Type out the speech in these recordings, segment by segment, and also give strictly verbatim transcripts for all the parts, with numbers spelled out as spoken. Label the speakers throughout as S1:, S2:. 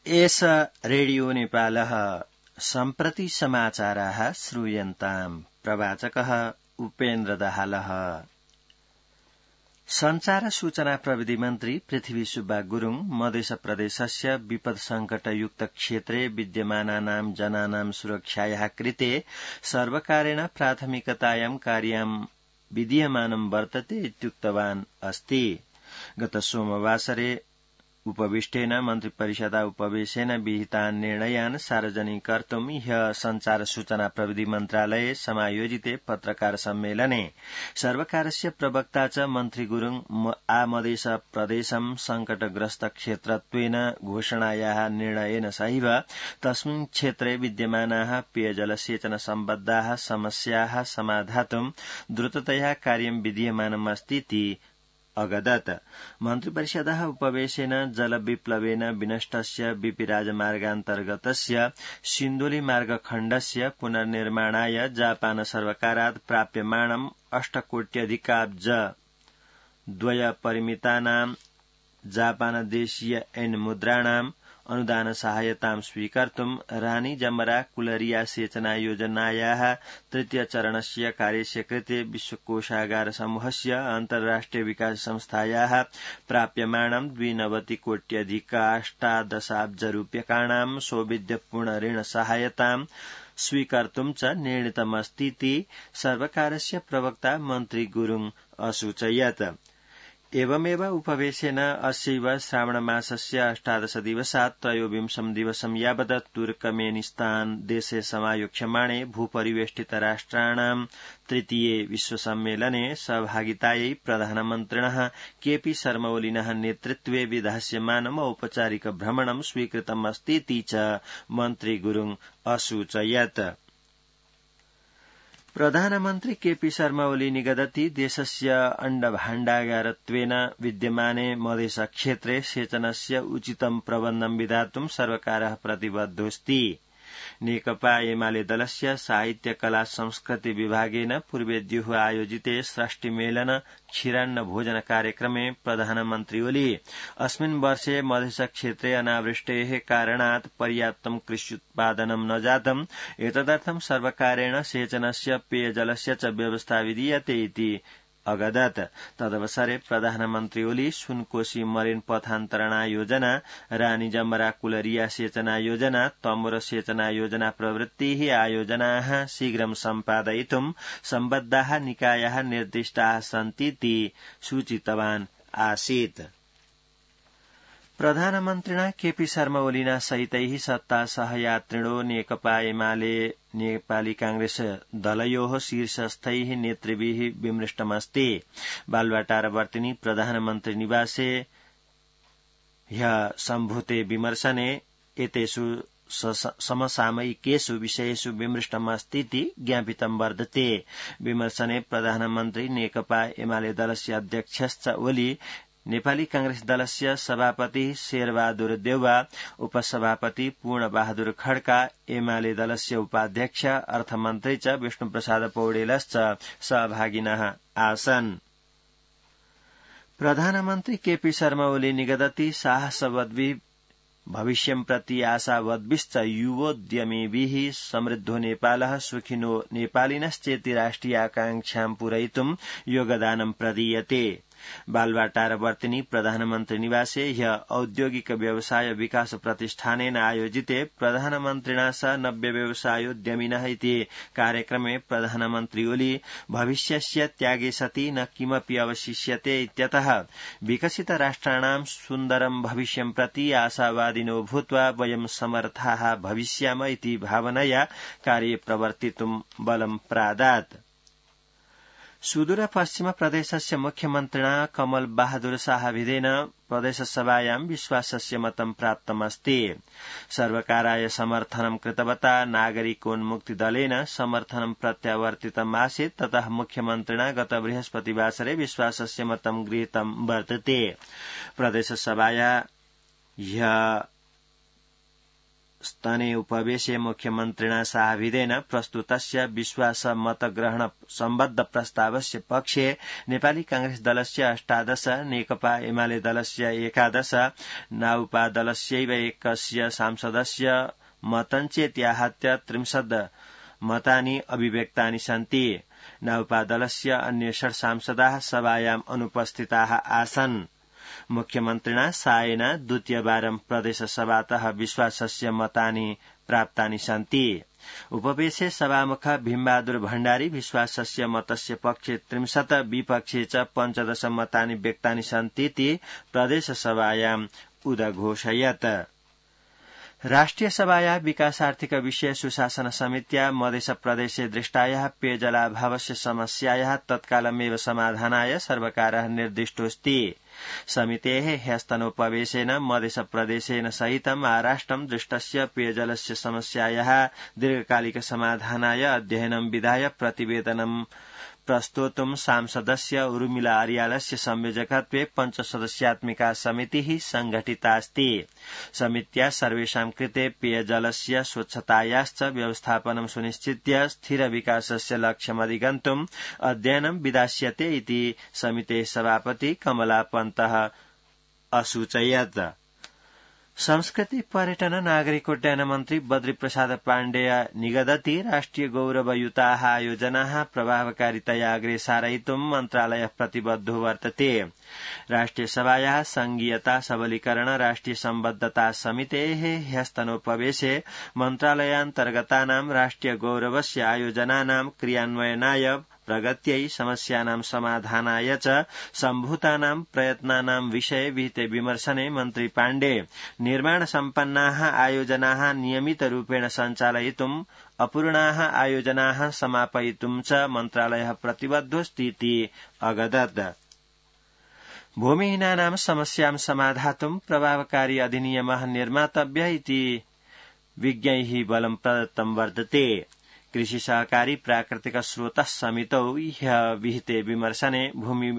S1: एष रेडियो नेपालः सम्प्रति समाचाराः श्रूयन्ताम्। प्रवाचकः उपेन्द्र दाहालः। संचार सूचना प्रविधि मन्त्री पृथ्वी सुब्बा गुरूङ मध्य प्रदेशस्य विपद संकटयुक्त क्षेत्रे विद्यमानानां जनानां सुरक्षायाः कृते सर्वकारेण प्राथमिकतायां कार्यं विधीयमानं वर्तते इत्युक्तवान् अस्ति। गत सोमवासरे उपविष्टेन मन्त्रिपरिषदा उपवेशेन विहितान् निर्णयान् सार्वजनिकर्तुं ह्यः संचार सूचना प्रविधि मन्त्रालये समायोजिते पत्रकार सम्मेलने सर्वकारस्य प्रवक्ता च मन्त्री गुरूङ आमदेश प्रदेशं संकटग्रस्त क्षेत्रत्वेन घोषणायाः निर्णयेन सहैव तस्मिन् क्षेत्रे विद्यमानाः पेयजलसेचन सम्बद्धाः समस्याः समाधातुं द्रुततया कार्यं विधीयमानमस्तीति अगदत्। मन्त्रिपरिषदः उपवेशेन जलविप्लवेन विनष्टस्य बीपी राजमार्गान्तर्गतस्य सिन्धुली मार्गखण्डस्य पुनर्निर्माणाय जापान सर्वकारात् प्राप्यमाणम् अष्टकोट्यधिकाब्ज द्वय परिमितानां जापानदेशीय एन मुद्राणाम् अनुदान सहायतां स्वीकर्तुं रानी जमरा कुलरिया सेचना योजनायाः तृतीय चरणस्य कार्यस्य कृते विश्वकोषागार समूहस्य अन्ताराष्ट्रिय विकास संस्थायाः प्राप्यमाणं द्विनवतिकोट्यधिकाष्टादशाब्ज रूप्यकाणां सौविध्यपूर्ण ऋण सहायतां स्वीकर्तुं च निर्णीतमस्तीति सर्वकारस्य प्रवक्ता मन्त्री गुरूङ असूचयत्। एवमेव उपवेशेन अस्यैव श्रावणमासस्य अष्टादश दिवसात् त्रयोविंशं दिवसं यावत् तुर्कमेनिस्तान देशे समायोक्ष्यमाणे भूपरिवेष्टित राष्ट्राणां तृतीये विश्वसम्मेलने सहभागितायै प्रधानमन्त्रिणः केपी शर्मा ओलीनः नेतृत्वे विधास्यमानम् औपचारिक भ्रमणं स्वीकृतमस्तीति च मन्त्री गुरूङ असूचयत्। प्रधानमन्त्री केपी शर्मा ओली निगदति देशस्य अण्डभाण्डागारत्वेन विद्यमाने मधेश क्षेत्रे सेचनस्य उचितं प्रबन्धं विधातुं सर्वकारः प्रतिबद्धोऽस्ति। नेकपा एमाले दलस्य साहित्य कला संस्कृति विभागेन पूर्वेद्युः आयोजिते षष्टिमेलन क्षीरान्न भोजन कार्यक्रमे प्रधानमन्त्री ओली अस्मिन् वर्षे मधेश क्षेत्रे अनावृष्टेः कारणात् पर्याप्तं कृष्युत्पादनं न जातम् एतदर्थं सर्वकारेण सेचनस्य पेयजलस्य च व्यवस्था विधीयते इति अगदत्। तदवसरे प्रधानमन्त्री ओली सुनकोशी मरेन पथान्तरणा योजना, रानी जमरा कुलरिया सेचना योजना, तमोर सेचना योजना प्रवृत्तिः आयोजनाः शीघ्रं सम्पादयितुं सम्बद्धाः निकायाः निर्दिष्टाः सन्तीति सूचितवान् आसीत्। प्रधानमन्त्रिणा केपी शर्मा ओलिना सहितैः सत्ता सहयात्रिणो नेकपा एमाले नेपाली कांग्रेस दलयोः शीर्षस्थैः नेतृभिः विमृष्टमस्ति। बालुवाटारवर्तिनी प्रधानमन्त्री निवासे ह्यः सम्भूते विमर्शने एतेषु समसामयिकेषु विषयेषु विमृष्टमस्तीति ज्ञापितं वर्तते। विमर्शने प्रधानमन्त्री नेकपा एमाले दलस्य अध्यक्षश्च ओली, नेपाली कांग्रेस दलस्य सभापति शेरबहादुर देउवा, उपसभापति पूर्णबहादुर खड्का, एमाले दलस्य उपाध्यक्ष अर्थमन्त्री च विष्णुप्रसाद पौडेलश्च सहभागिनः आसन्। प्रधानमन्त्री केपी शर्मा ओली निगदति साहसवद्भिः भविष्यं प्रति आशावद्भिश्च युवोद्यमिभिः समृद्धो नेपालः सुखिनो नेपालिनश्चेति राष्ट्रियाकांक्षां पूरयितुं योगदानं प्रदीयते। बालुवाटारवर्तिनी प्रधानमन्त्री निवासे ह्यः औद्योगिक व्यवसाय विकास प्रतिष्ठानेन आयोजिते प्रधानमन्त्रिणा सह नव्य व्यवसायोद्यमिनः इति कार्यक्रमे प्रधानमन्त्री ओली भविष्यस्य त्यागे सति न किमपि अवशिष्यते इत्यतः विकसित राष्ट्राणां सुन्दरं भविष्यं प्रति आशावादिनो भूत्वा वयं समर्थाः भविष्याम इति भावनया कार्ये प्रवर्तितुं बलं प्रादात्। सुदूर पश्चिम प्रदेशस्य मुख्यमन्त्रिणा कमल बहादुर शाहभिधेन प्रदेशसभायां विश्वासस्य मतं प्राप्तमस्ति। सर्वकाराय समर्थनं कृतवता नागरिकोन्मुक्तिदलेन समर्थनं प्रत्यावर्तितमासीत्। ततः मुख्यमन्त्रिणा गत बृहस्पतिवासरे विश्वासस्य मतं गृहीतं वर्तते। प्रदेशसभाया ह्यः स्तने उपवेशे मुख्यमन्त्रिणा साहभिदेन प्रस्तुतस्य विश्वास मतग्रहण सम्बद्ध प्रस्तावस्य पक्षे नेपाली कांग्रेस दलस्य अष्टादश, नेकपा एमाले दलस्य एकादश, नाउपा दलस्यैव एकस्य सांसदस्य मतञ्चेत्याहत्य त्रिंशत् मतानि अभिव्यक्तानि सन्ति। नाउपा दलस्य अन्ये षट् सांसदाः सभायाम् अनुपस्थिताः आसन्। मुख्यमन्त्रिणा सायेन द्वितीयवारं प्रदेशसभातः विश्वासस्य मतानि प्राप्तानि सन्ति। उपवेशे सभामुख भीमबहादुर भण्डारी विश्वासस्य मतस्य पक्षे त्रिंशत्, विपक्षे च पञ्चदश मतानि व्यक्तानि सन्तीति प्रदेशसभायाम् उदघोषयत्। राष्ट्रिय सभाया विकासार्थिक विषय सुशासन समित्या मधेश प्रदेशे दृष्टायाः पेयजलाभावस्य समस्यायाः तत्कालमेव समाधानाय सर्वकारः निर्दिष्टोऽस्ति। समितेः ह्यस्तनोपवेशेन मधेश प्रदेशेन सहितं महाराष्ट्रं दृष्टस्य पेयजलस्य समस्यायाः दीर्घकालिक समाधानाय अध्ययनं विधाय प्रतिवेदनं प्रस्तोतुं सांसदस्य उर्मिला आर्यालस्य संयोजकत्वे पञ्चसदस्यात्मिका समितिः संघटितास्ति। समित्या सर्वेषां कृते पेयजलस्य स्वच्छतायाश्च व्यवस्थापनं सुनिश्चित्य स्थिर विकासस्य लक्ष्यमधिगन्तुम् अध्ययनं विधास्यते इति समितेः सभापति कमला पन्तः असूचयत्। संस्कृति पर्यटन नागरिकोड्डयन मन्त्री बद्री प्रसाद पाण्डेय निगदति राष्ट्रिय गौरवयुताः आयोजनाः प्रभावकारितया अग्रे सारयितुं मन्त्रालयः प्रतिबद्धो वर्तते। राष्ट्रिय सभायाः संघीयता सबलीकरण राष्ट्रिय सम्बद्धता समितेः ह्यस्तनोपवेशे मन्त्रालयान्तर्गतानां राष्ट्रिय गौरवस्य आयोजनानां क्रियान्वयनाय प्रगत्यै समस्यानां समाधानाय च सम्भूतानां प्रयत्नानां विषये विहिते विमर्शने मन्त्री पाण्डे निर्माण सम्पन्नाः आयोजनाः नियमितरूपेण सञ्चालयितुम् अपूर्णाः आयोजनाः समापयितुं च मन्त्रालयः प्रतिबद्धोऽस्तीति अगदत्। भूमिहीनानां समस्यां समाधातुं प्रभावकारी अधिनियमः निर्मातव्यः इति विज्ञैः बलं प्रदत्तं वर्तते। कृषि सहकारी प्राकृतिक स्रोतः समितौ ह्यः विहिते विमर्शने भूमि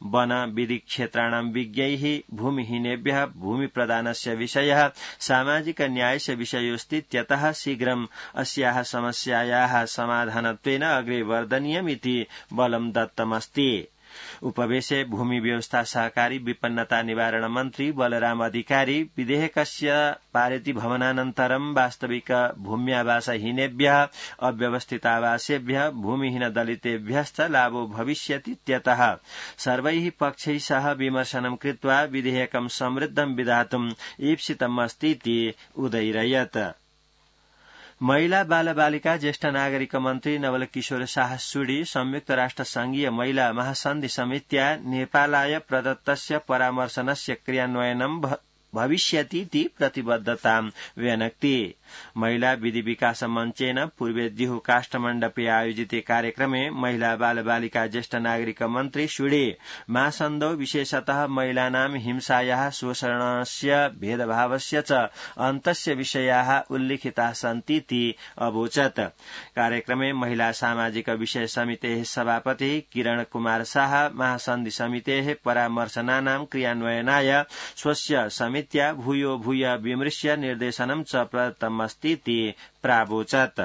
S1: वन विधि क्षेत्राणां विज्ञैः भूमिहीनेभ्यः भूमि प्रदानस्य विषयः सामाजिक न्यायस्य विषयोऽस्तीत्यतः शीघ्रम् अस्याः समस्यायाः समाधानत्वेन अग्रे वर्धनीयमिति बलं दत्तमस्ति। उपवेशे भूमि व्यवस्था सहकारी विपन्नता निवारण मन्त्री बलराम अधिकारी विधेयकस्य पारिति भवनानन्तरं वास्तविक भूम्यावासहीनेभ्यः अव्यवस्थितावासेभ्यः भूमिहीन दलितेभ्यश्च लाभो भविष्यतीत्यतः सर्वैः पक्षैः सह विमर्शनं कृत्वा विधेयकं समृद्धं विधातुम् ईप्सितमस्तीति उदैरयत्। महिला बाल बालिका ज्येष्ठ नागरिक मन्त्री नवल किशोर शाह सुडी संयुक्त राष्ट्र संघीय महिला महासन्धि समित्या नेपालाय प्रदत्तस्य परामर्शनस्य क्रियान्वयनं भविष्यतीति प्रतिबद्धतां व्यनक्ति। महिला विधि विकास मञ्चेन पूर्वेद्युः काष्ठमण्डपे आयोजिते कार्यक्रमे महिला बाल बालिका ज्येष्ठ नागरिक मन्त्री सुडे महासन्धौ विशेषतः महिलानां हिंसायाः शोषणस्य भेदभावस्य च अन्तस्य विषयाः उल्लिखिताः सन्तीति अवोचत्। कार्यक्रमे महिला सामाजिक विषय समितेः सभापतिः किरण कुमार शाह महासन्धि समितेः परामर्शनानां क्रियान्वयनाय स्वस्य समित्या भूयो भूय विमृश्य निर्देशनं च प्रदत्तमस्तीति प्रावोचत्।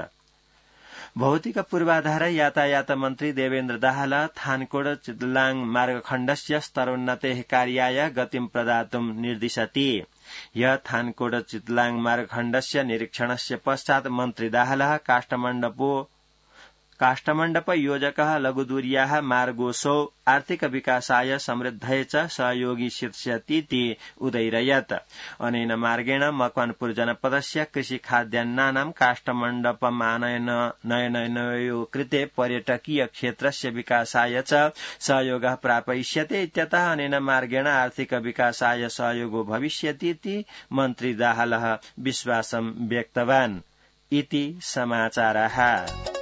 S1: भौतिक पूर्वाधार यातायात मन्त्री देवेन्द्र दाहाल थानकोट चितलाङ मार्गखण्डस्य स्तरोन्नतेः कार्याय गतिं प्रदातुं निर्दिशति। यह थानकोट चितलाङ मार्गखण्डस्य निरीक्षणस्य पश्चात् मन्त्री दाहालः काष्ठमण्डपो काष्ठमण्डप योजकः लघुदूर्याः मार्गोऽसौ आर्थिक विकासाय समृद्धये च सहयोगी शिष्यतीति उदैरयत्। अनेन मार्गेण मकवानपुर जनपदस्य कृषि खाद्यान्नानां काष्ठमण्डपमानयन नयनयो कृते पर्यटकीय क्षेत्रस्य विकासाय च सहयोगः प्रापयिष्यते इत्यतः अनेन मार्गेण आर्थिक विकासाय सहयोगो भविष्यतीति मन्त्री दाहालः विश्वासं व्यक्तवान् इति समाचारः।